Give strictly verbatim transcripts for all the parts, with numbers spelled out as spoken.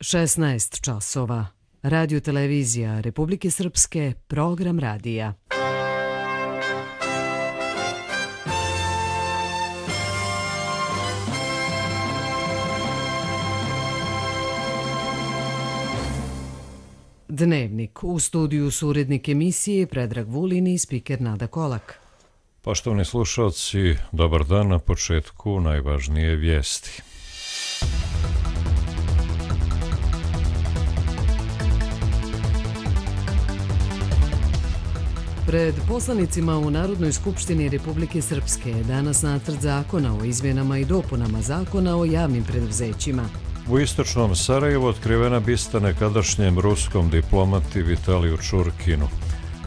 šesnaest časova. Radio televizija Republike Srpske, program radija. Dnevnik. U studiju su urednik emisije Predrag Vulin i spiker Nada Kolak. Poštovani slušalci, dobar dan. Na početku najvažnije vijesti. Pred poslanicima u Narodnoj skupštini Republike Srpske je danas nacrt zakona o izmjenama i dopunama zakona o javnim preduzećima. U istočnom Sarajevu otkrivena bista nekadašnjem ruskom diplomati Vitaliju Čurkinu.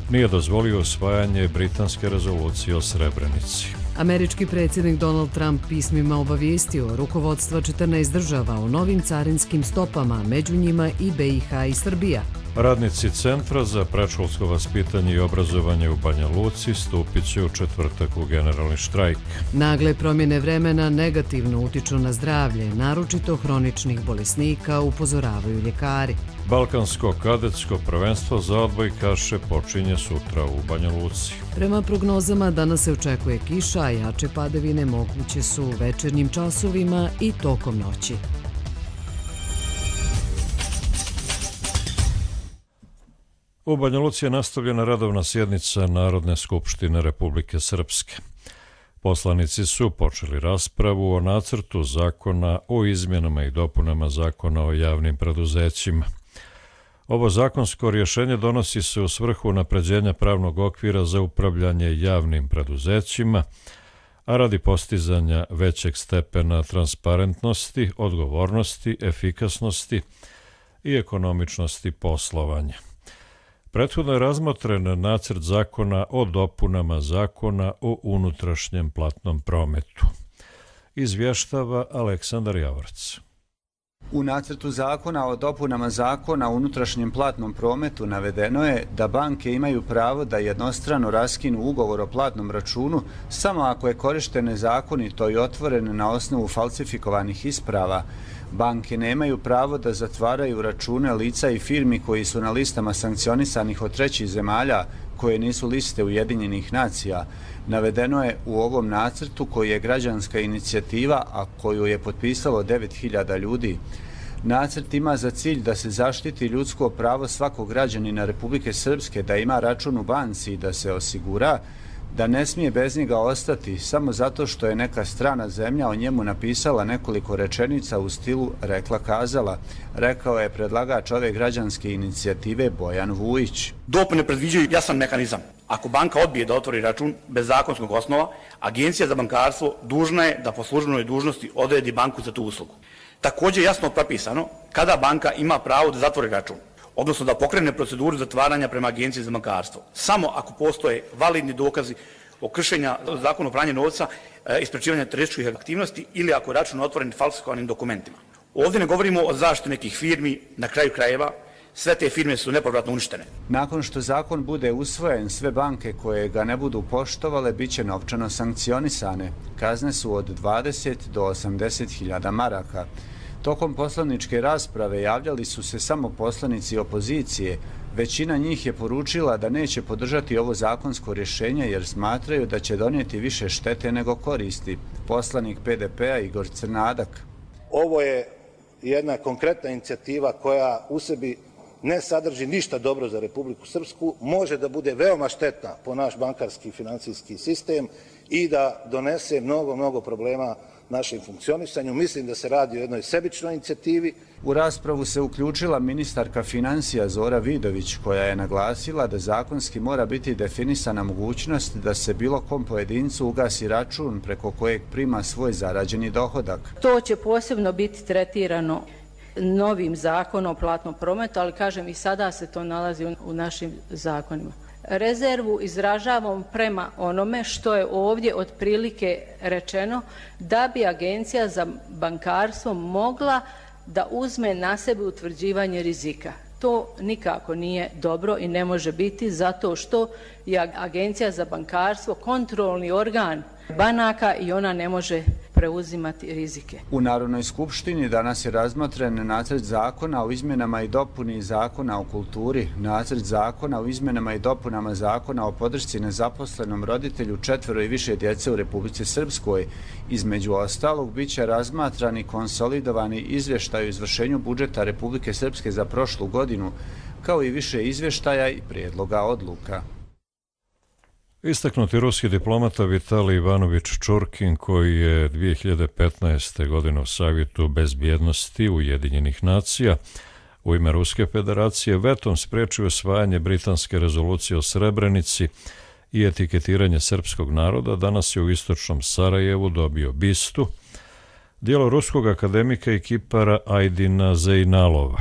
Nije dozvolio usvajanje britanske rezolucije o Srebrenici. Američki predsjednik Donald Trump pismima obavijestio rukovodstva četrnaest država o novim carinskim stopama, među njima i B i H i Srbija. Radnici Centra za predškolsko vaspitanje i obrazovanje u Banja Luci stupit će u četvrtak u generalni štrajk. Nagle promjene vremena negativno utiču na zdravlje, naročito hroničnih bolesnika, upozoravaju ljekari. Balkansko kadetsko prvenstvo za odbojkaše počinje sutra u Banja Luci. Prema prognozama danas se očekuje kiša, a jače padavine moguće su u večernjim časovima i tokom noći. U Banja Luci je nastavljena redovna sjednica Narodne skupštine Republike Srpske. Poslanici su počeli raspravu o nacrtu zakona o izmjenama i dopunama zakona o javnim preduzećima. Ovo zakonsko rješenje donosi se u svrhu unapređenja pravnog okvira za upravljanje javnim preduzećima, a radi postizanja većeg stepena transparentnosti, odgovornosti, efikasnosti i ekonomičnosti poslovanja. Prethodno je razmotren nacrt zakona o dopunama zakona o unutrašnjem platnom prometu. Izvještava Aleksandar Javorac. U nacrtu zakona o dopunama zakona o unutrašnjem platnom prometu navedeno je da banke imaju pravo da jednostrano raskinu ugovor o platnom računu samo ako je korišten nezakonito i otvoren na osnovu falsifikovanih isprava. Banke nemaju pravo da zatvaraju račune lica i firmi koji su na listama sankcionisanih od trećih zemalja koje nisu liste Ujedinjenih nacija. Navedeno je u ovom nacrtu koji je građanska inicijativa, a koju je potpisalo devet hiljada ljudi. Nacrt ima za cilj da se zaštiti ljudsko pravo svakog građanina Republike Srpske da ima račun u banci i da se osigura da ne smije bez njega ostati samo zato što je neka strana zemlja o njemu napisala nekoliko rečenica u stilu rekla kazala, rekao je predlagač ove građanske inicijative Bojan Vujić. Dopune predviđaju jasan mehanizam. Ako banka odbije da otvori račun bez zakonskog osnova, Agencija za bankarstvo dužna je da po službenoj dužnosti odredi banku za tu uslugu. Također jasno propisano kada banka ima pravo da zatvori račun, odnosno da pokrene proceduru zatvaranja prema Agenciji za bankarstvo. Samo ako postoje validni dokazi o kršenju zakona o pranju novca, isprečivanja terorističkih aktivnosti ili ako je račun otvoren falsifikovanim dokumentima. Ovdje ne govorimo o zaštiti nekih firmi, na kraju krajeva, sve te firme su nepovratno uništene. Nakon što zakon bude usvojen, sve banke koje ga ne budu poštovale bit će novčano sankcionisane. Kazne su od dvadeset do osamdeset hiljada maraka. Tokom poslaničke rasprave javljali su se samo poslanici opozicije. Većina njih je poručila da neće podržati ovo zakonsko rješenje jer smatraju da će donijeti više štete nego koristi. Poslanik P D P-a Igor Crnadak. Ovo je jedna konkretna inicijativa koja u sebi ne sadrži ništa dobro za Republiku Srpsku, može da bude veoma štetna po naš bankarski i financijski sistem i da donese mnogo, mnogo problema našem funkcionisanju. Mislim da se radi o jednoj sebičnoj inicijativi. U raspravu se uključila ministarka financija Zora Vidović, koja je naglasila da zakonski mora biti definisana mogućnost da se bilo kom pojedincu ugasi račun preko kojeg prima svoj zarađeni dohodak. To će posebno biti tretirano novim zakonom o platnom prometu, ali kažem i sada se to nalazi u našim zakonima. Rezervu izražavam prema onome što je ovdje otprilike rečeno da bi Agencija za bankarstvo mogla da uzme na sebe utvrđivanje rizika. To nikako nije dobro i ne može biti zato što je Agencija za bankarstvo kontrolni organ banaka i ona ne može preuzimati rizike. U Narodnoj skupštini danas je razmotren nacrt zakona o izmjenama i dopuni zakona o kulturi, nacrt zakona o izmjenama i dopunama zakona o podršci nezaposlenom roditelju četvero i više djece u Republici Srpskoj. Između ostalog, bit će razmatrani konsolidovani izvještaj o izvršenju budžeta Republike Srpske za prošlu godinu, kao i više izvještaja i prijedloga odluka. Istaknuti ruski diplomata Vitalij Ivanović Čurkin, koji je dvije hiljade petnaeste. godine u Savjetu bezbjednosti Ujedinjenih nacija u ime Ruske federacije vetom spriječio usvajanje britanske rezolucije o Srebrenici i etiketiranje srpskog naroda, danas je u istočnom Sarajevu dobio bistu, djelo ruskog akademika i kipara Ajdina Zejnalova.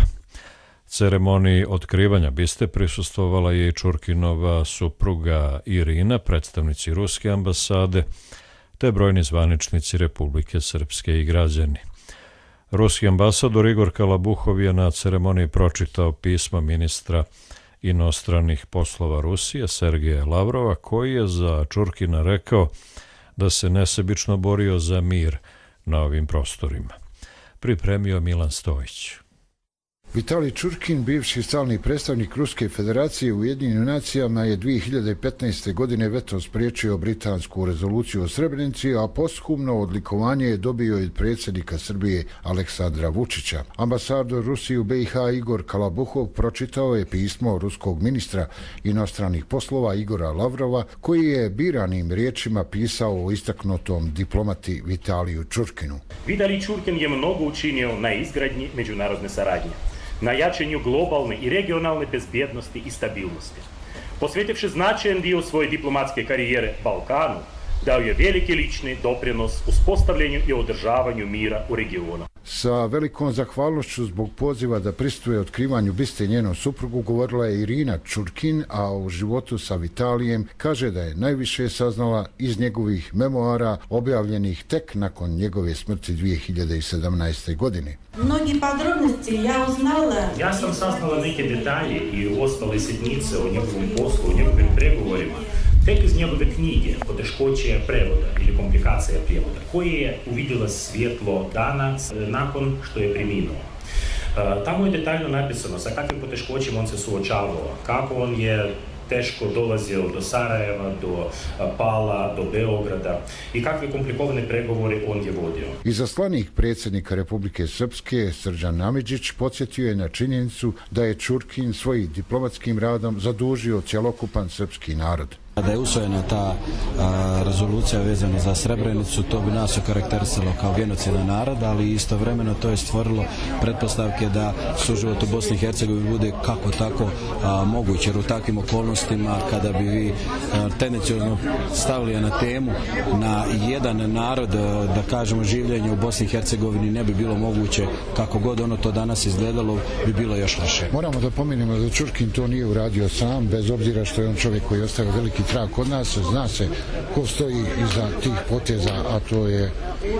Ceremoniji otkrivanja biste prisustvovala je i Čurkinova supruga Irina, predstavnici ruske ambasade, te brojni zvaničnici Republike Srpske i građani. Ruski ambasador Igor Kalabuhov je na ceremoniji pročitao pismo ministra inostranih poslova Rusije Sergeja Lavrova, koji je za Čurkina rekao da se nesebično borio za mir na ovim prostorima. Pripremio Milan Stojić. Vitalij Čurkin, bivši stalni predstavnik Ruske federacije u Ujedinjenim nacijama, je dvije hiljade petnaeste. godine vetom spriječio britansku rezoluciju o Srebrenici, a posthumno odlikovanje je dobio i od predsjednika Srbije Aleksandra Vučića. Ambasador Rusije u B i H Igor Kalabuhov pročitao je pismo ruskog ministra inostranih poslova Igora Lavrova, koji je biranim riječima pisao o istaknutom diplomati Vitaliju Čurkinu. Vitalij Čurkin je mnogo učinio na izgradnji međunarodne saradnje, na jačanju globalne i regionalne bezbjednosti i stabilnosti. Posvetivši značajan dio svoje diplomatske karijere Balkanu, dao je veliki lični doprinos uspostavljanju i održavanju mira u regionu. Sa velikom zahvalnošću zbog poziva da prisustvuje otkrivanju biste njenom suprugu govorila je Irina Čurkin, a u životu sa Vitalijem kaže da je najviše saznala iz njegovih memoara objavljenih tek nakon njegove smrti dvije hiljade sedamnaeste. godine. Mnogi podrobnosti ja uznala. Ja sam saznala neke detalje i ostale sitnice o njegovom poslu, o njegovim pregovorima, tek iz njegove knjige Poteškoće prevoda ili komplikacija prijevoda, koje je uvidjela svjetlo dana nakon što je preminuo. Tamo je detaljno napisano sa kakvim poteškoćima on se suočavao, kako on je teško dolazio do Sarajeva, do Pala, do Beograda i kakve komplikovane pregovore on je vodio. Izaslanik predsjednika Republike Srpske Srđan Amidžić podsjetio je na činjenicu da je Čurkin svojim diplomatskim radom zadužio cjelokupan srpski narod. Da je usvojena ta a, rezolucija vezana za Srebrenicu, to bi nas okarakterisalo kao genocidan narod, ali istovremeno to je stvorilo pretpostavke da suživot u Bosni i Hercegovini bude kako tako a, moguće, jer u takvim okolnostima kada bi vi a, tendenciozno stavili na temu na jedan narod, a, da kažemo življenje u Bosni i Hercegovini ne bi bilo moguće, kako god ono to danas izgledalo, bi bilo još loše. Moramo da pomenemo da Čurkin to nije uradio sam, bez obzira što je on čovjek koji je ostavio veliki trag kod nas, zna se ko stoji iza tih poteza, a to je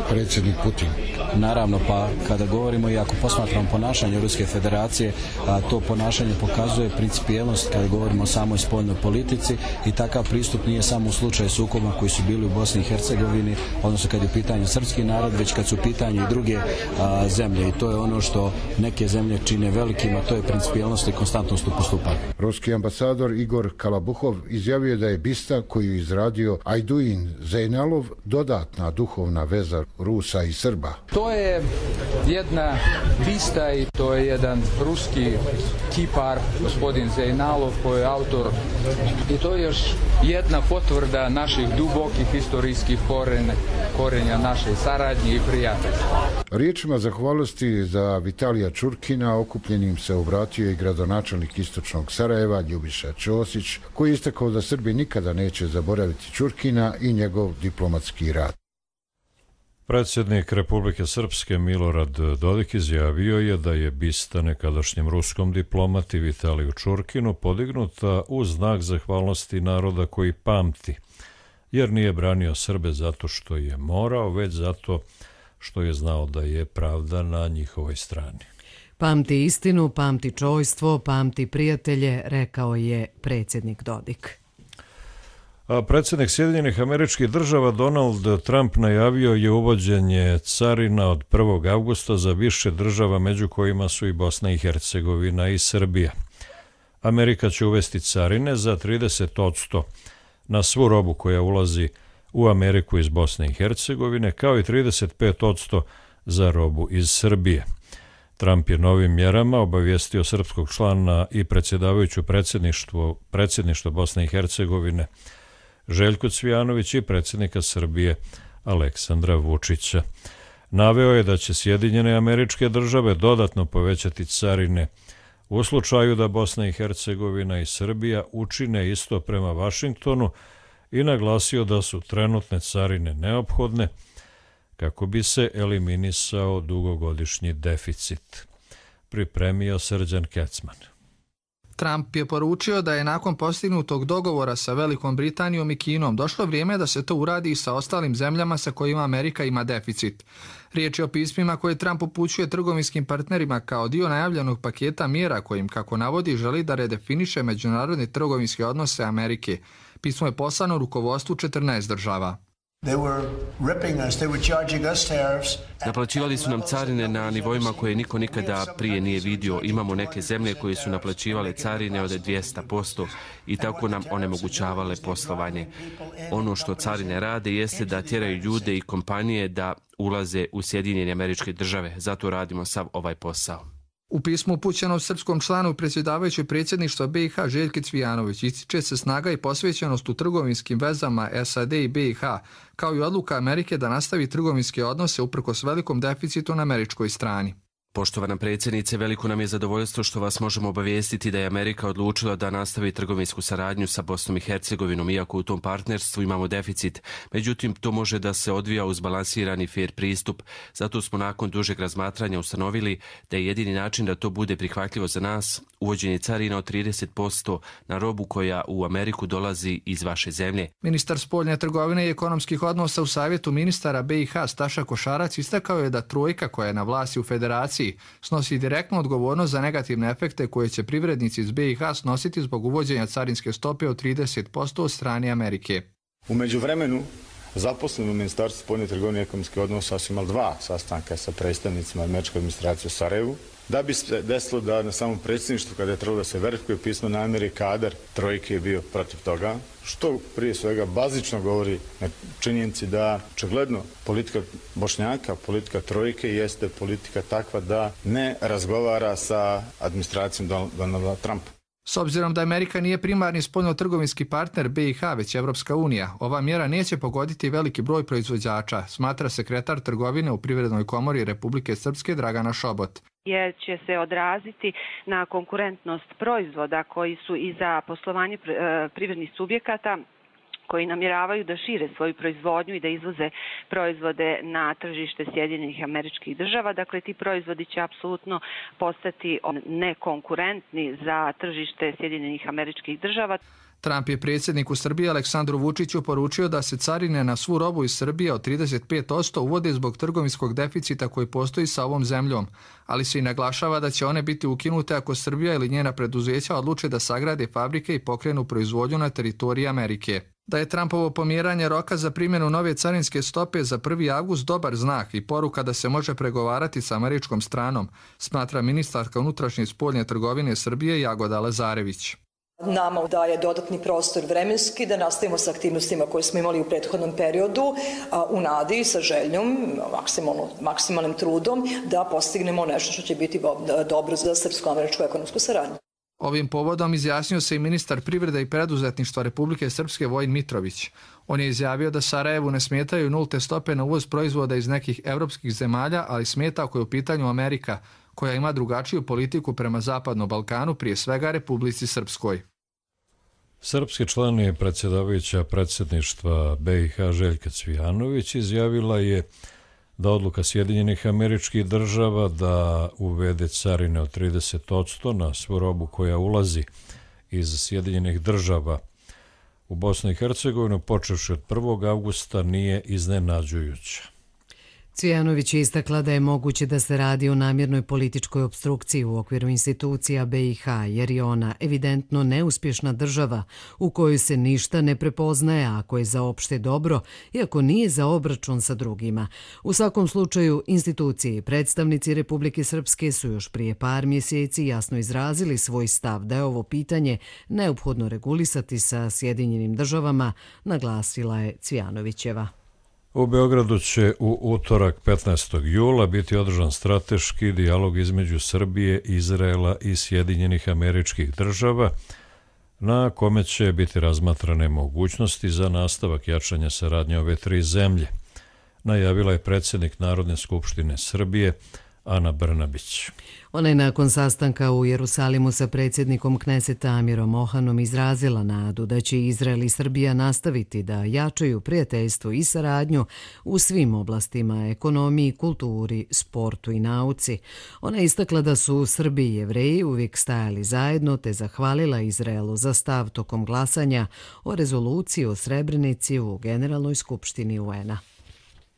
predsjednik Putin. Naravno, pa kada govorimo i ako posmatramo ponašanje Ruske federacije, a to ponašanje pokazuje principijelnost kada govorimo o samoj spoljnoj politici i takav pristup nije samo u slučaju sukoba koji su bili u Bosni i Hercegovini, odnosno kad je u pitanju srpski narod, već kad su u pitanju i druge a, zemlje. I to je ono što neke zemlje čine velikim, a to je principijelnost i konstantnost u postupanju. Ruski ambasador Igor Kalabuhov izjavio da je bista koju je izradio Ajdin Zejnalov dodatna duhovna veza Rusa i Srba. To je jedna bista i to je jedan ruski kipar, gospodin Zejnalov, koji je autor, i to je još jedna potvrda naših dubokih historijskih korenja, korenja naše saradnje i prijateljstva. Riječima zahvalnosti za Vitalija Čurkina okupljenim se obratio i gradonačelnik istočnog Sarajeva Ljubiša Ćosić, koji je istakao da Srbi nikada neće zaboraviti Čurkina i njegov diplomatski rad. Predsjednik Republike Srpske Milorad Dodik izjavio je da je bista nekadašnjem ruskom diplomati Vitaliju Čurkinu podignuta u znak zahvalnosti naroda koji pamti, jer nije branio Srbe zato što je morao, već zato što je znao da je pravda na njihovoj strani. Pamti istinu, pamti čojstvo, pamti prijatelje, rekao je predsjednik Dodik. A predsjednik Sjedinjenih Američkih Država Donald Trump najavio je uvođenje carina od prvog avgusta za više država, među kojima su i Bosna i Hercegovina i Srbija. Amerika će uvesti carine za trideset posto na svu robu koja ulazi u Ameriku iz Bosne i Hercegovine, kao i trideset pet posto za robu iz Srbije. Trump je novim mjerama obavijestio srpskog člana i predsjedavajuću predsjedništvo, predsjedništvo Bosne i Hercegovine Željko Cvijanović i predsjednika Srbije Aleksandra Vučića. Naveo je da će Sjedinjene Američke Države dodatno povećati carine u slučaju da Bosna i Hercegovina i Srbija učine isto prema Vašingtonu i naglasio da su trenutne carine neophodne kako bi se eliminisao dugogodišnji deficit. Pripremio Srđan Kecman. Trump je poručio da je nakon postignutog dogovora sa Velikom Britanijom i Kinom došlo vrijeme da se to uradi i sa ostalim zemljama sa kojima Amerika ima deficit. Riječ je o pismima koje Trump upućuje trgovinskim partnerima kao dio najavljenog paketa mjera kojim, kako navodi, želi da redefiniše međunarodne trgovinske odnose Amerike. Pismo je poslano rukovodstvu četrnaest država. Naplaćivali su nam carine na nivoima koje niko nikada prije nije vidio. Imamo neke zemlje koje su naplaćivale carine od dvjesto posto i tako nam onemogućavale poslovanje. Ono što carine rade jeste da tjeraju ljude i kompanije da ulaze u Sjedinjene Američke Države. Zato radimo sav ovaj posao. U pismu upućeno srpskom članu predsjedavajućeg predsjedništva B i H Željki Cvijanović ističe se snaga i posvećenost u trgovinskim vezama S A D i B i H, kao i odluka Amerike da nastavi trgovinske odnose uprkos velikom deficitu na američkoj strani. Poštovana predsjednice, veliko nam je zadovoljstvo što vas možemo obavijestiti da je Amerika odlučila da nastavi trgovinsku saradnju sa Bosnom i Hercegovinom, iako u tom partnerstvu imamo deficit. Međutim, to može da se odvija uz balansirani fair pristup. Zato smo nakon dužeg razmatranja ustanovili da je jedini način da to bude prihvatljivo za nas uvođenje carina od trideset posto na robu koja u Ameriku dolazi iz vaše zemlje. Ministar spoljne trgovine i ekonomskih odnosa u Savjetu ministara B i H Staša Košarac istakao je da trojka koja je na vlasti u federaciji snosi direktnu odgovornost za negativne efekte koje će privrednici iz B i H snositi zbog uvođenja carinske stope od trideset posto od strane Amerike. U međuvremenu, zaposleni u Ministarstvu spoljne trgovine i ekonomskih odnosa su imali dva sastanka sa predstavnicima američke administracije u Sarajevu, da bi se desilo da na samom predsjedništvu, kada je trebalo da se verifikuje pismo namjere, kadar trojke je bio protiv toga, što prije svega bazično govori na činjenici da očigledno politika Bošnjaka, politika trojke jeste politika takva da ne razgovara sa administracijom Donalda Trumpa. S obzirom da Amerika nije primarni spoljno-trgovinski partner B i H, već Evropska unija, ova mjera neće pogoditi veliki broj proizvođača, smatra sekretar trgovine u Privrednoj komori Republike Srpske Dragana Šobot. Jer će se odraziti na konkurentnost proizvoda koji su i za poslovanje privrednih subjekata koji namjeravaju da šire svoju proizvodnju i da izvoze proizvode na tržište Sjedinjenih Američkih Država. Dakle, ti proizvodi će apsolutno postati nekonkurentni za tržište Sjedinjenih Američkih Država. Trump je predsjedniku Srbije Aleksandru Vučiću poručio da se carine na svu robu iz Srbije od trideset pet posto uvode zbog trgovinskog deficita koji postoji sa ovom zemljom, ali se i naglašava da će one biti ukinute ako Srbija ili njena preduzeća odluče da sagrade fabrike i pokrenu proizvodnju na teritoriji Amerike. Da je Trumpovo pomjeranje roka za primjenu nove carinske stope za prvi avgust dobar znak i poruka da se može pregovarati sa američkom stranom, smatra ministarka unutrašnje i spoljne trgovine Srbije Jagoda Lazarević. Nama daje dodatni prostor vremenski da nastavimo sa aktivnostima koje smo imali u prethodnom periodu u nadi sa željom, maksimalnim trudom da postignemo nešto što će biti dobro za srpsko-američku ekonomsku saradnju. Ovim povodom izjasnio se i ministar privrede i preduzetništva Republike Srpske Vojin Mitrović. On je izjavio da Sarajevu ne smetaju nulte stope na uvoz proizvoda iz nekih evropskih zemalja, ali smeta ako je u pitanju Amerika, koja ima drugačiju politiku prema Zapadnom Balkanu, prije svega Republici Srpskoj. Srpski član je predsjedavajuća predsjedništva B i H Željka Cvijanović izjavila je da odluka Sjedinjenih Američkih Država da uvede carine od trideset posto na svu robu koja ulazi iz Sjedinjenih Država u Bosnu i Hercegovinu počevši od prvog avgusta nije iznenađujuća. Cvijanović je istakla da je moguće da se radi o namjernoj političkoj opstrukciji u okviru institucija B i H, jer je ona evidentno neuspješna država u kojoj se ništa ne prepoznaje ako je za opšte dobro i ako nije za obračun sa drugima. U svakom slučaju, institucije i predstavnici Republike Srpske su još prije par mjeseci jasno izrazili svoj stav da je ovo pitanje neophodno regulisati sa Sjedinjenim državama, naglasila je Cvijanovićeva. U Beogradu će u utorak petnaestog jula biti održan strateški dijalog između Srbije, Izraela i Sjedinjenih Američkih Država, na kome će biti razmatrane mogućnosti za nastavak jačanja saradnje ove tri zemlje, najavila je predsjednik Narodne skupštine Srbije Ana Brnabić. Ona je nakon sastanka u Jerusalimu sa predsjednikom Kneseta Amirom Ohanom izrazila nadu da će Izrael i Srbija nastaviti da jačaju prijateljstvo i saradnju u svim oblastima, ekonomiji, kulturi, sportu i nauci. Ona je istakla da su Srbi i Jevreji uvijek stajali zajedno te zahvalila Izraelu za stav tokom glasanja o rezoluciji o Srebrenici u Generalnoj skupštini U N-a.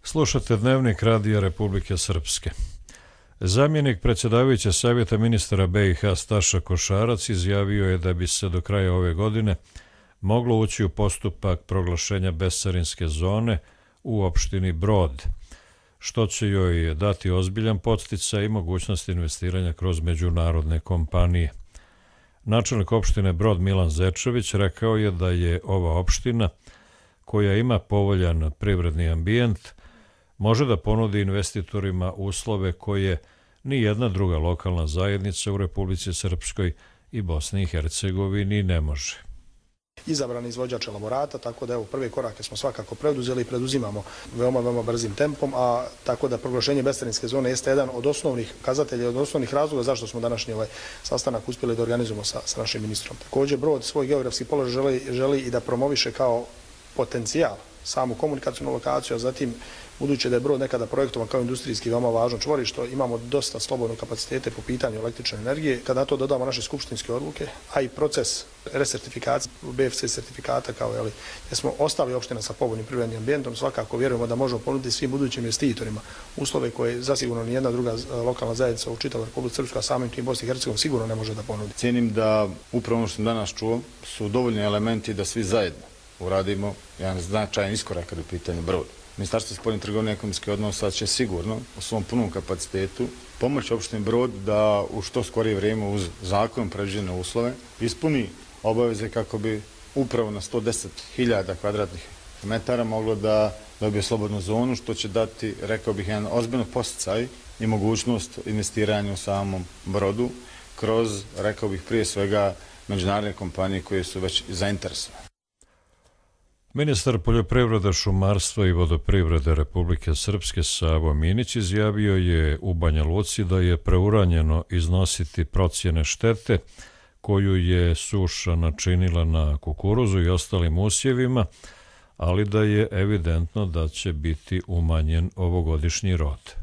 Slušate Dnevnik Radija Republike Srpske. Zamjenik predsjedavajuće savjeta ministara B i H Staša Košarac izjavio je da bi se do kraja ove godine moglo ući u postupak proglašenja bescarinske zone u opštini Brod, što će joj dati ozbiljan podsticaj i mogućnost investiranja kroz međunarodne kompanije. Načelnik opštine Brod Milan Zečević rekao je da je ova opština, koja ima povoljan privredni ambijent, može da ponudi investitorima uslove koje ni jedna druga lokalna zajednica u Republici Srpskoj i Bosni i Hercegovini ne može. Izabran izvođač elaborata, tako da evo prve korake smo svakako preduzeli i preduzimamo veoma, veoma brzim tempom, a tako da proglašenje bescarinske zone jeste jedan od osnovnih kazatelja, od osnovnih razloga zašto smo današnji ovaj sastanak uspjeli da organizujemo sa, sa našim ministrom. Također Brod svoj geografski položaj želi, želi i da promoviše kao potencijal samu komunikacijnu lokaciju, a zatim budući da je Brod nekada projektovan kao industrijski veoma važno čvorište, imamo dosta slobodne kapacitete po pitanju električne energije. Kada na to dodamo naše skupštinske odluke, a i proces resertifikacije B F C sertifikata kao jeli, gdje smo ostali opština sa povoljnim privrednim ambijentom, svakako vjerujemo da možemo ponuditi svim budućim investitorima uslove koje zasigurno ni jedna druga lokalna zajednica u čitavoj Republici Srpskoj, a samim tim Bosni i Hercegovini sigurno ne može da ponudi. Cijenim da upravo ono što sam danas čuo su dovoljni elementi da svi zajedno uradimo jedan značajan iskorak kada je u pitanju Brod. Ministarstvo spoljne trgovine i ekonomskih odnosa će sigurno u svom punom kapacitetu pomoći opštini Brod da u što skorije vrijeme uz zakon predviđene uslove ispuni obaveze kako bi upravo na sto deset hiljada kvadratnih metara moglo da dobije slobodnu zonu, što će dati, rekao bih, jedan ozbiljno posticaj i mogućnost investiranja u samom Brodu kroz, rekao bih, prije svega međunarodne kompanije koje su već zainteresovane. Ministar poljoprivrede, šumarstva i vodoprivrede Republike Srpske Savo Minić izjavio je u Banja Luci da je preuranjeno iznositi procjene štete koju je suša načinila na kukuruzu i ostalim usjevima, ali da je evidentno da će biti umanjen ovogodišnji rod.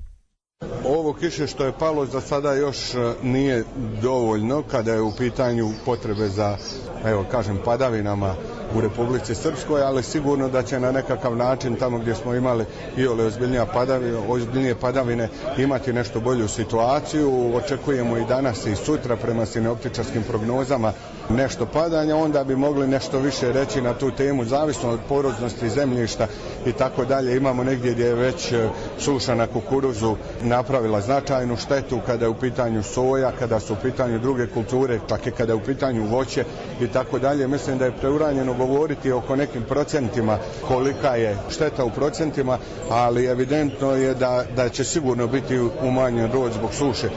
Ovo kiše što je palo za sada još nije dovoljno kada je u pitanju potrebe za, evo kažem, padavinama u Republici Srpskoj, ali sigurno da će na nekakav način tamo gdje smo imali i ole ozbiljnije padavine, ozbiljnije padavine imati nešto bolju situaciju. Očekujemo i danas i sutra prema sinoptičarskim prognozama nešto padanja, onda bi mogli nešto više reći na tu temu, zavisno od poroznosti zemljišta i tako dalje. Imamo negdje gdje je već suša na kukuruzu napravila značajnu štetu kada je u pitanju soja, kada su u pitanju druge kulture, čak i kada je u pitanju voće i tako dalje. Mislim da je preuranjeno govoriti oko nekim procentima kolika je šteta u procentima, ali evidentno je da, da će sigurno biti umanjen rod zbog suše.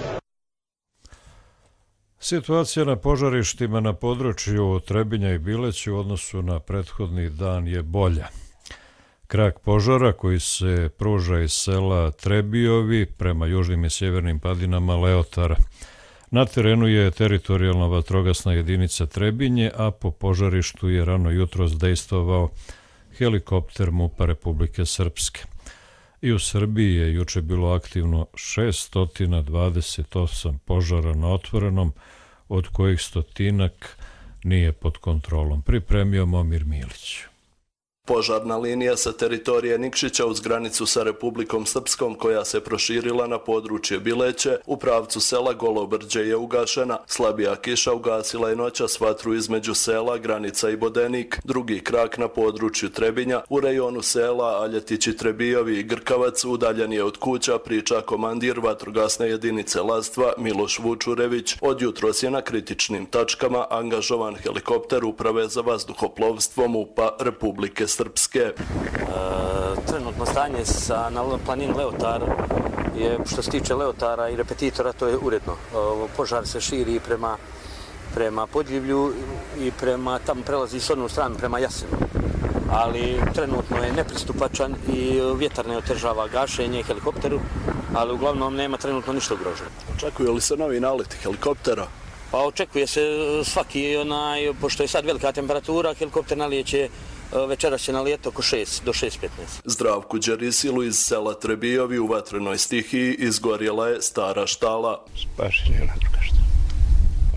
Situacija na požarištima na području Trebinja i Bileća u odnosu na prethodni dan je bolja. Krak požara koji se pruža iz sela Trebijovi prema južnim i sjevernim padinama Leotara. Na terenu je teritorijalna vatrogasna jedinica Trebinje, a po požarištu je rano jutros dejstvovao helikopter M U P-a Republike Srpske. I u Srbiji je juče bilo aktivno šesto dvadeset osam požara na otvorenom, od kojih stotinak nije pod kontrolom. Pripremio Momir Milić. Požarna linija sa teritorije Nikšića uz granicu sa Republikom Srpskom koja se proširila na područje Bileće u pravcu sela Golobrđe je ugašena. Slabija kiša ugasila je noćas vatru između sela Granica i Bodenik. Drugi krak na području Trebinja u rejonu sela Aljetići, Trebijovi i Grkavac udaljen je od kuća, priča komandir vatrogasne jedinice Lastva Miloš Vučurević. Od jutros je na kritičnim tačkama angažovan helikopter Uprave za vazduhoplovstvo MUP-a Republike Srpske. E, trenutno stanje sa, na planini Leotar je, što se tiče Leotara i repetitora, to je uredno. E, požar se širi prema, prema Podljivlju i prema, tamo prelazi s onu stranu prema Jasenu. Ali trenutno je nepristupačan i vjetar ne otežava gašenje helikopteru, ali uglavnom nema trenutno ništa ugroženo. Očekuju li se novi naleti helikoptera? Pa očekuje se svaki, onaj, pošto je sad velika temperatura, helikopter nalijeće večeras će nalijeti oko šest do šest petnaest. Zdravku Đerisilu iz sela Trebijovi u vatrenoj stihiji izgorjela je stara štala. Spašen je ona druga štala.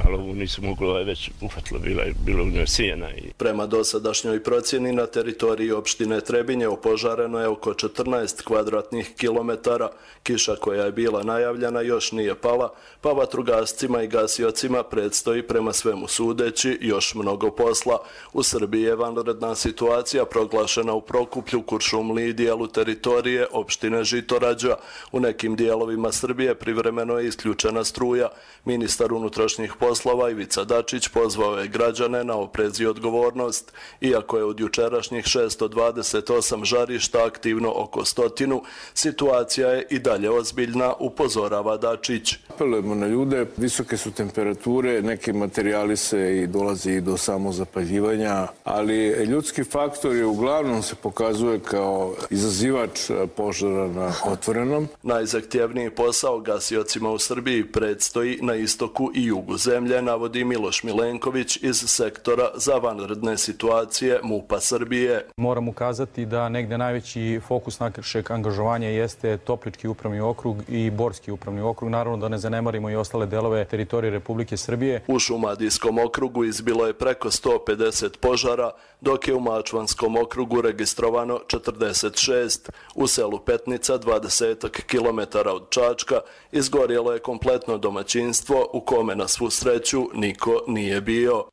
Ali ovu nisu mogla, već uhvatila, bila je bilo u njoj sijena. I... Prema dosadašnjoj procjeni na teritoriji opštine Trebinje opožareno je oko četrnaest kvadratnih kilometara. Kiša koja je bila najavljena još nije pala, pa vatrogascima i gasiocima predstoji prema svemu sudeći još mnogo posla. U Srbiji je vanredna situacija proglašena u Prokuplju, Kuršumliji i dijelu teritorije opštine Žitorađa. U nekim dijelovima Srbije privremeno je isključena struja. Ministar unutrašnjih poslova Ivica Dačić pozvao je građane na oprez i odgovornost. Iako je od jučerašnjih šesto dvadeset osam žarišta aktivno oko stotinu, situacija je i dalje ozbiljna, upozorava Dačić. Apelujemo na ljude, visoke su temperature, neki materijali se i dolazi i do samozapaljivanja, ali ljudski faktor je uglavnom se pokazuje kao izazivač požara na otvorenom. Najzahtjevniji posao gasiocima u Srbiji predstoji na istoku i jugu zemlje, navodi Miloš Milenković iz sektora za vanredne situacije MUP-a Srbije. Moram ukazati da negde najveći fokus našeg angažovanja jeste Toplički upravni okrug i Borski upravni okrug. Naravno da ne zanemarimo i ostale delove teritorije Republike Srbije. U Šumadijskom okrugu izbilo je preko sto pedeset požara, dok je u Mačvanskom okrugu registrovano četrdeset šest. U selu Petnica, dvadeset kilometara od Čačka, izgorjelo je kompletno domaćinstvo u kome na svu sreću niko nije bio.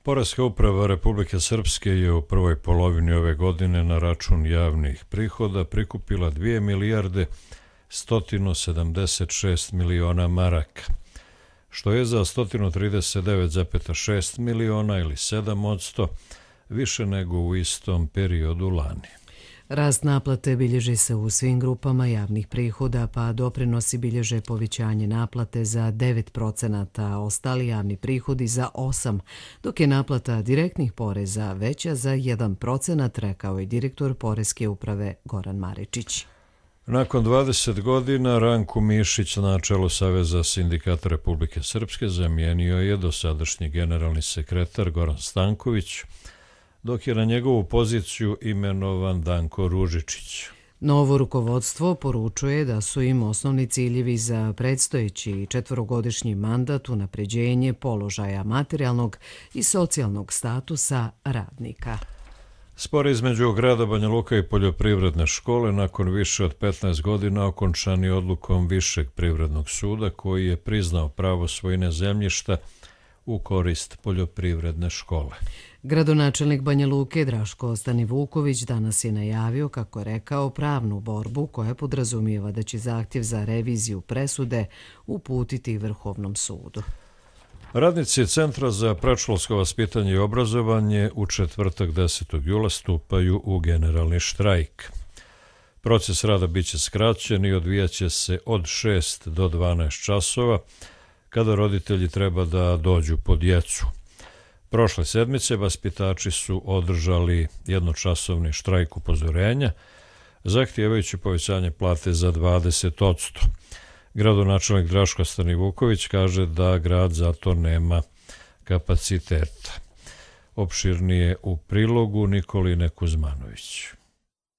Poreska uprava Republike Srpske je u prvoj polovini ove godine na račun javnih prihoda prikupila dvije milijarde sto sedamdeset šest miliona maraka, što je za sto trideset devet zarez šest miliona ili sedam posto više nego u istom periodu lani. Rast naplate bilježi se u svim grupama javnih prihoda, pa doprinosi bilježe povećanje naplate za devet procenata, a ostali javni prihodi za osam procenata, dok je naplata direktnih poreza veća za jedan procenat, rekao je direktor Poreske uprave Goran Maričić. Nakon dvadeset godina Ranku Mišić na čelu Saveza sindikata Republike Srpske zamijenio je dosadašnji generalni sekretar Goran Stanković, dok je na njegovu poziciju imenovan Danko Ružičić. Novo rukovodstvo poručuje da su im osnovni ciljevi za predstojeći četvorogodišnji mandat unapređenje položaja materijalnog i socijalnog statusa radnika. Spor između grada Banja Luka i poljoprivredne škole nakon više od petnaest godina okončan je odlukom Višeg privrednog suda koji je priznao pravo svojine zemljišta u korist poljoprivredne škole. Gradonačelnik Banja Luke Draško Stanivuković danas je najavio, kako je rekao, pravnu borbu koja podrazumijeva da će zahtjev za reviziju presude uputiti Vrhovnom sudu. Radnici Centra za predškolsko vaspitanje i obrazovanje u četvrtak desetog jula stupaju u generalni štrajk. Proces rada biće skraćen i odvijaće se od šest do dvanaest časova, kada roditelji treba da dođu po djecu. Prošle sedmice vaspitači su održali jednočasovni štrajk upozorenja, zahtijevajući povećanje plate za dvadeset posto. Gradonačelnik Draško Stanivuković kaže da grad zato nema kapaciteta. Opširnije u prilogu Nikoline Kuzmanović.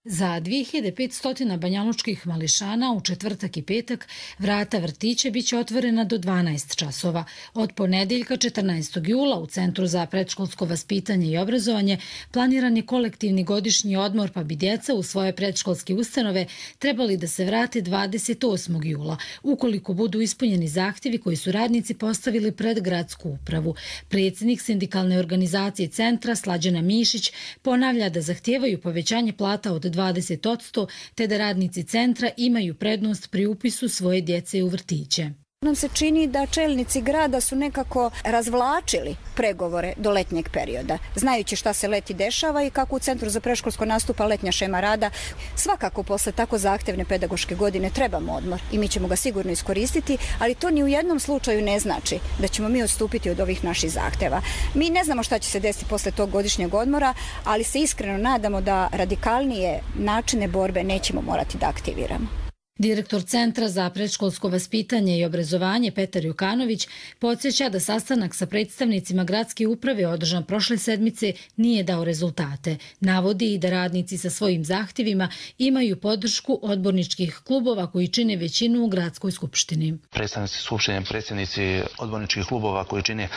Za dvije hiljade petsto banjalučkih mališana u četvrtak i petak vrata vrtića biće otvorena do dvanaest časova. Od ponedeljka četrnaestog jula u Centru za predškolsko vaspitanje i obrazovanje planiran je kolektivni godišnji odmor, pa bi djeca u svoje predškolske ustanove trebali da se vrate dvadeset osmog jula, ukoliko budu ispunjeni zahtjevi koji su radnici postavili pred gradsku upravu. Predsjednik sindikalne organizacije centra Slađana Mišić ponavlja da zahtijevaju povećanje plata od dvadeset posto, te da radnici centra imaju prednost pri upisu svoje djece u vrtiće. Nam se čini da čelnici grada su nekako razvlačili pregovore do letnjeg perioda, znajući šta se leti dešava i kako u Centru za predškolsko nastupa letnja šema rada. Svakako posle tako zahtevne pedagoške godine trebamo odmor i mi ćemo ga sigurno iskoristiti, ali to ni u jednom slučaju ne znači da ćemo mi odstupiti od ovih naših zahteva. Mi ne znamo šta će se desiti posle tog godišnjeg odmora, ali se iskreno nadamo da radikalnije načine borbe nećemo morati da aktiviramo. Direktor Centra za predškolsko vaspitanje i obrazovanje Petar Jukanović podsjeća da sastanak sa predstavnicima gradske uprave održan prošle sedmice nije dao rezultate. Navodi i da radnici sa svojim zahtjevima imaju podršku odborničkih klubova koji čine većinu u gradskoj skupštini. Predstavnici skupštine, predsjednici odborničkih klubova koji čine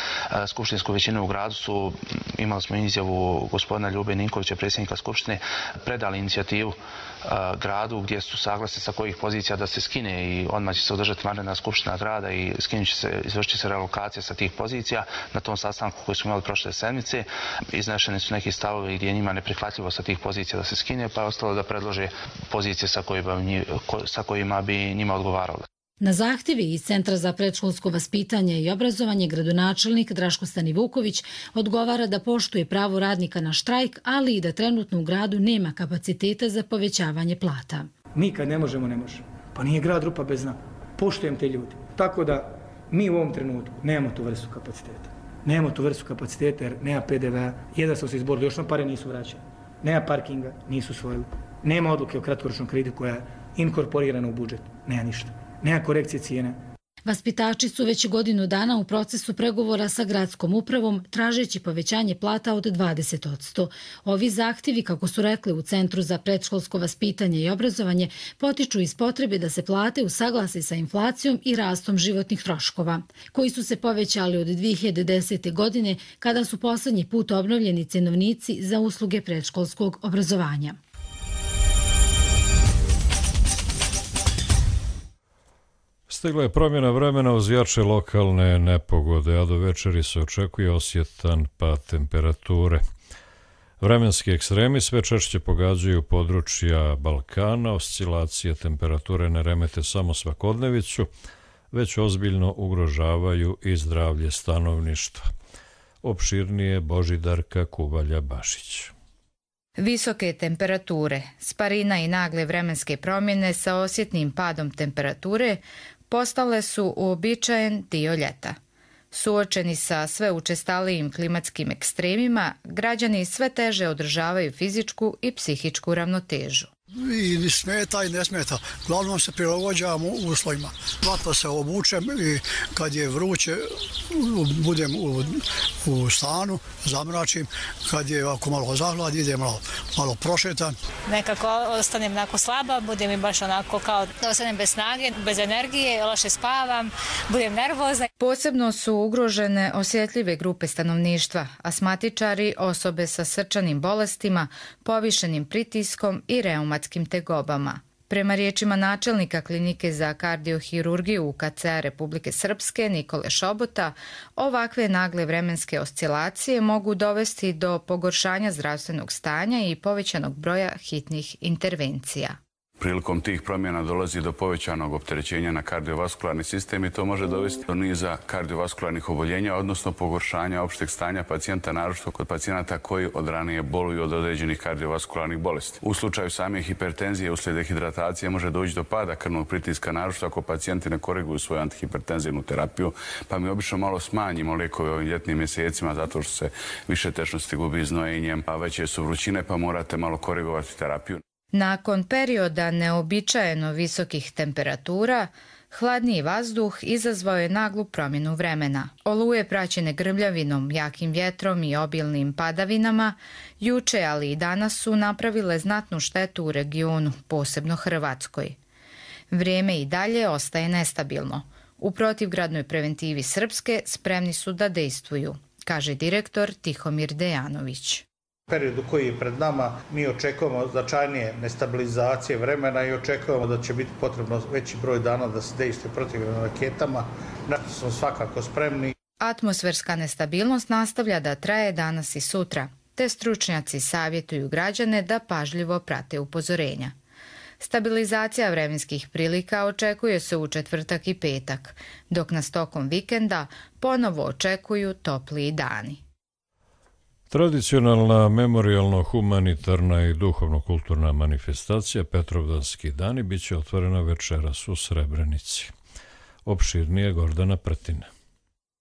skupštinsku većinu u gradu su, imali smo izjavu gospodina Ljube Ninkovića, predsjednika skupštine, predali inicijativu gradu gdje su saglasni sa kojih pozicija da se skine i odmah će se održati vanredna skupština grada i skinut će se, izvršit će se relokacija sa tih pozicija. Na tom sastanku koji smo imali prošle sedmice iznešeni su neki stavovi gdje je njima neprihvatljivo sa tih pozicija da se skine, pa je ostalo da predlože pozicije sa kojima, sa kojima bi njima odgovaralo. Na zahtjevi iz Centra za predškolsko vaspitanje i obrazovanje gradonačelnik Draško Stanivuković odgovara da poštuje pravo radnika na štrajk, ali i da trenutno u gradu nema kapaciteta za povećavanje plata. Mi kad ne možemo, ne možemo. Pa nije grad rupa bez dna. Poštujem te ljudi. Tako da mi u ovom trenutku nemamo tu vrstu kapaciteta. Nemamo tu vrstu kapaciteta jer nema P D V-a. Jedan smo se izborili, još nam pare nisu vraćali. Nema parkinga, nisu usvojili. Nema odluke o kratkoročnom kreditu koja je inkorporirana u budžet. Nema ništa. Nema korekcije cijene. Vaspitači su već godinu dana u procesu pregovora sa gradskom upravom tražeći povećanje plata od dvadeset posto. Ovi zahtjevi, kako su rekli u Centru za predškolsko vaspitanje i obrazovanje, potiču iz potrebe da se plate usaglase sa inflacijom i rastom životnih troškova, koji su se povećali od dvije hiljade desete. godine kada su poslednji put obnovljeni cenovnici za usluge predškolskog obrazovanja. Stigla je promjena vremena uz jače lokalne nepogode, a do večeri se očekuje osjetan pad temperature. Vremenski ekstremi sve češće pogađaju područja Balkana, oscilacije temperature ne remete samo svakodnevicu, već ozbiljno ugrožavaju i zdravlje stanovništva. Opširnije Božidarka Kubalja-Bašić. Visoke temperature, sparina i nagle vremenske promjene sa osjetnim padom temperature postale su uobičajen dio ljeta. Suočeni sa sve učestalijim klimatskim ekstremima, građani sve teže održavaju fizičku i psihičku ravnotežu. I smeta i ne smeta. Glavnom se prilagođavamo uslovima. Vatno se obučem i kad je vruće budem u, u stanu, zamračim. Kad je ako malo zahlad, idem malo, malo prošetan. Nekako ostanem onako slaba, budem i baš onako kao da ostanem bez snage, bez energije, loše spavam, budem nervozna. Posebno su ugrožene osjetljive grupe stanovništva, asmatičari, osobe sa srčanim bolestima, povišenim pritiskom i reumatskim tegobama. Prema riječima načelnika klinike za kardiohirurgiju U K C-a Republike Srpske Nikole Šobota, ovakve nagle vremenske oscilacije mogu dovesti do pogoršanja zdravstvenog stanja i povećanog broja hitnih intervencija. Prilikom tih promjena dolazi do povećanog opterećenja na kardiovaskularni sistem i to može dovesti do niza kardiovaskularnih oboljenja, odnosno pogoršanja opšteg stanja pacijenta, naročito kod pacijenata koji od ranije boluju od određenih kardiovaskularnih bolesti. U slučaju same hipertenzije uslijed dehidratacije može doći do pada krvnog pritiska, naročito ako pacijenti ne koriguju svoju antihipertenzivnu terapiju, pa mi obično malo smanjimo lijekove ovim ljetnim mjesecima zato što se više tečnosti gubi znojenjem, a veće su vrućine pa morate malo korigovati terapiju. Nakon perioda neobičajeno visokih temperatura, Hladniji vazduh izazvao je naglu promjenu vremena. Oluje praćene grmljavinom, jakim vjetrom i obilnim padavinama, juče, ali i danas su napravile znatnu štetu u regionu, posebno Hrvatskoj. Vrijeme i dalje ostaje nestabilno. U protivgradnoj preventivi Srpske spremni su da dejstvuju, kaže direktor Tihomir Dejanović. U periodu koji je pred nama mi očekujemo značajnije nestabilizacije vremena i očekujemo da će biti potrebno veći broj dana da se dejstvuje protivgradnim raketama, na što smo svakako spremni. Atmosferska nestabilnost nastavlja da traje danas i sutra, te stručnjaci savjetuju građane da pažljivo prate upozorenja. Stabilizacija vremenskih prilika očekuje se u četvrtak i petak, dok nas tokom vikenda ponovo očekuju topliji dani. Tradicionalna memorijalno-humanitarna i duhovno-kulturna manifestacija Petrovdanski dani biće otvorena večeras u Srebrenici. Opširnije Gordana Prtina.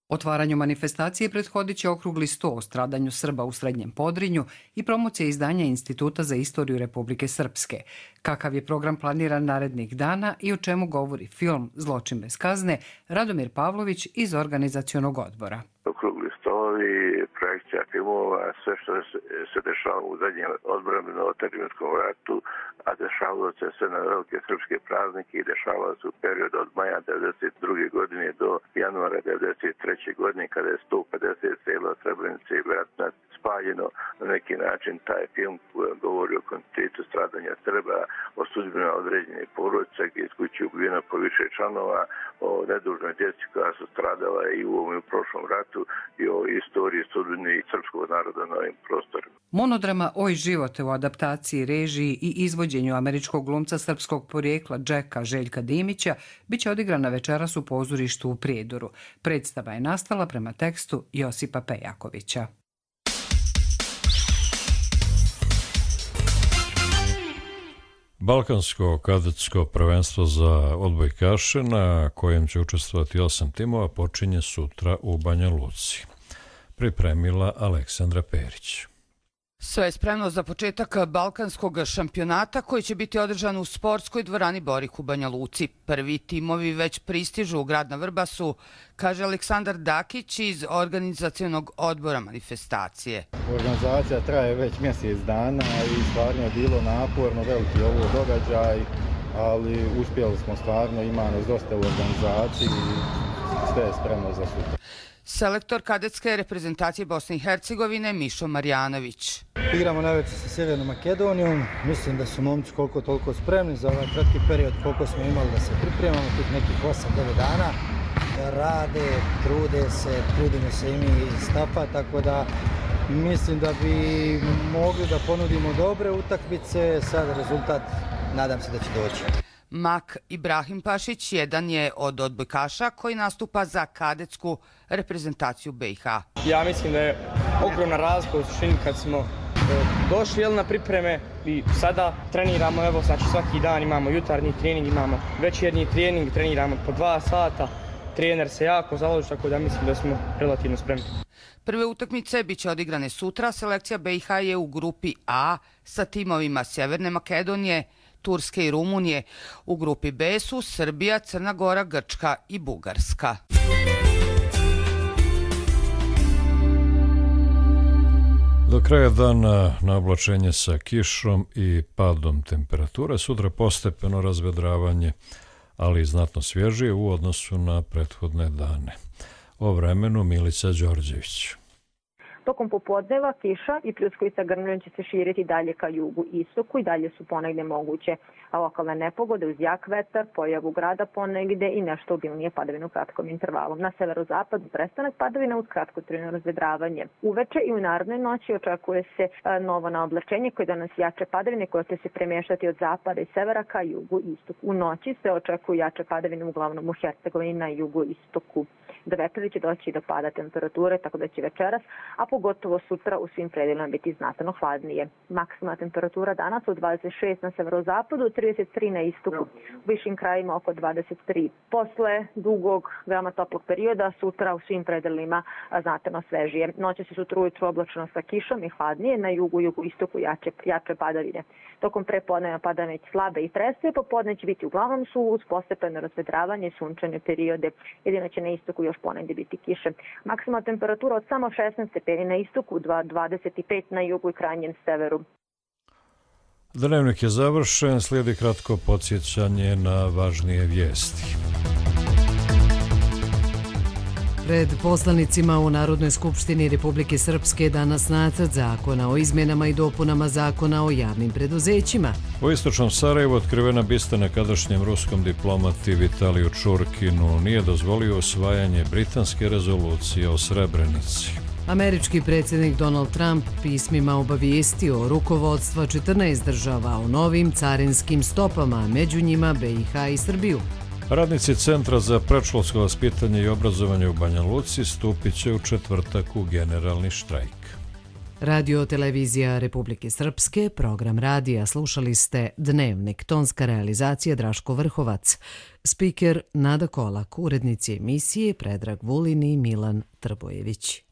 Otvaranju manifestacije prethodit će okrugli sto o stradanju Srba u Srednjem Podrinju i promocija izdanja Instituta za istoriju Republike Srpske. Kakav je program planiran narednih dana i o čemu govori film Zločin bez kazne, Radomir Pavlović iz organizacionog odbora. Okrugli stolovi, projekcija filmova, sve što se dešava u zadnjem odbrambeno-otadžbinskom ratu, a dešavalo se sve na velike srpske praznike i dešavalo se u periodu od maja devedeset druge godine do januara devedeset treće godine kada je sto pedeset sela Srebrenice i Bratunac spaljeno. Na neki način taj film govori o kontinuitetu stradanja Srba, o sudbinama određene porodice gdje je iz kuće ubijeno po više članova, o nedužnoj djeci koja su stradala i u ovom i u prošlom ratu i o istoriji sudbine srpskog naroda na ovim prostorima. Monodrama Oj živote u adaptaciji, režiji i izvođenju američkog glumca srpskog porijekla Džeka Željka Dimića biće odigrana večeras u pozorištu u Prijedoru. Predstava je nastala prema tekstu Josipa Pejakovića. Balkansko kadetsko prvenstvo za odbojkaše, na kojem će učestvovati osam timova, počinje sutra u Banja Luci. Pripremila Aleksandra Perić. Sve je spremno za početak balkanskog šampionata koji će biti održan u sportskoj dvorani Borik u Banja Luci. Prvi timovi već pristižu u grad na Vrbasu, kaže Aleksandar Dakić iz organizacionog odbora manifestacije. Organizacija traje već mjesec dana i stvarno je bilo naporno, veliki ovo događaj, ali uspjeli smo stvarno, ima nas dosta u organizaciji i sve je spremno za sutra. Selektor kadetske reprezentacije Bosne i Hercegovine Mišo Marjanović. Igramo najveće sa Sjevernom Makedonijom. Mislim da su momci koliko toliko spremni za ovaj kratki period koliko smo imali da se pripremamo, tih nekih osam devet dana. Rade, trude se, trudimo se i mi iz stafa, tako da mislim da bi mogli da ponudimo dobre utakmice. Sad rezultat, nadam se da će doći. Mak Ibrahim Pašić jedan je od odbojkaša koji nastupa za kadetsku reprezentaciju B i H. Ja mislim da je ogromna razlika u suštini kad smo došli jel, na pripreme i sada treniramo, evo znači svaki dan imamo jutarnji trening, imamo večernji trening, treniramo po dva sata, trener se jako založi, tako da mislim da smo relativno spremni. Prve utakmice biće odigrane sutra, selekcija B i H je u grupi A sa timovima Sjeverne Makedonije, Turske i Rumunije. U grupi B su Srbija, Crna Gora, Grčka i Bugarska. Do kraja dana na oblačenje sa kišom i padom temperature, sutra postepeno razvedravanje, ali i znatno svježije u odnosu na prethodne dane. O vremenu Milica Đorđević. Tokom popodneva kiša i pljuskovica grmljem će se širiti dalje ka jugu i istoku i dalje su ponegde moguće lokalne nepogode uz jak vetar, pojavu grada ponegde i nešto obilnije padavine u kratkom intervalu. Na severozapadu prestanak padavina uz kratkotrajno razvedravanje. Uveče i u narodnoj noći očekuje se novo naoblačenje koje danas jače padavine koje će se premješati od zapada i severa ka jugu i istoku. U noći se očekuju jače padavine uglavnom u Hercegovini na jugu i istoku. Do večeri će doći do pada temperature, tako da će večeras, a pogotovo sutra u svim predelima biti znatno hladnije. Maksimalna temperatura danas od dvadeset šest na severozapadu, trideset tri na istoku, u višim krajima oko dvadeset tri. Posle dugog, veoma toplog perioda, sutra u svim predelima znatno svežije. Noće se sutra ujutru oblačno sa kišom i hladnije, na jugu, jugu istoku jače, jače padavine. Tokom prepodneva pada već slabe i trese, popodne će biti uglavnom su uz postepeno razvedravanje i sunčane periode. Jedino će na istoku još ponegdje biti kiše. Maksimalna temperatura od samo šesnaest stepeni na istoku, dvadeset pet na jugu i krajnjem severu. Dnevnik je završen, slijedi kratko podsjećanje na važnije vijesti. Pred poslanicima u Narodnoj skupštini Republike Srpske danas nacrt zakona o izmjenama i dopunama zakona o javnim preduzećima. U istočnom Sarajevu otkrivena bista nekadašnjem ruskom diplomati Vitaliju Čurkinu nije dozvolio usvajanje britanske rezolucije o Srebrenici. Američki predsjednik Donald Trump pismima obavijestio rukovodstva četrnaest država o novim carinskim stopama, među njima B i H i Srbiju. Radnici Centra za predškolsko vaspitanje i obrazovanje u Banja Luci stupit će u četvrtak u generalni štrajk. Radio televizija Republike Srpske, program radija, slušali ste Dnevnik, tonska realizacija Draško Vrhovac, spiker Nada Kolak, urednici emisije Predrag Vulin i Milan Trbojević.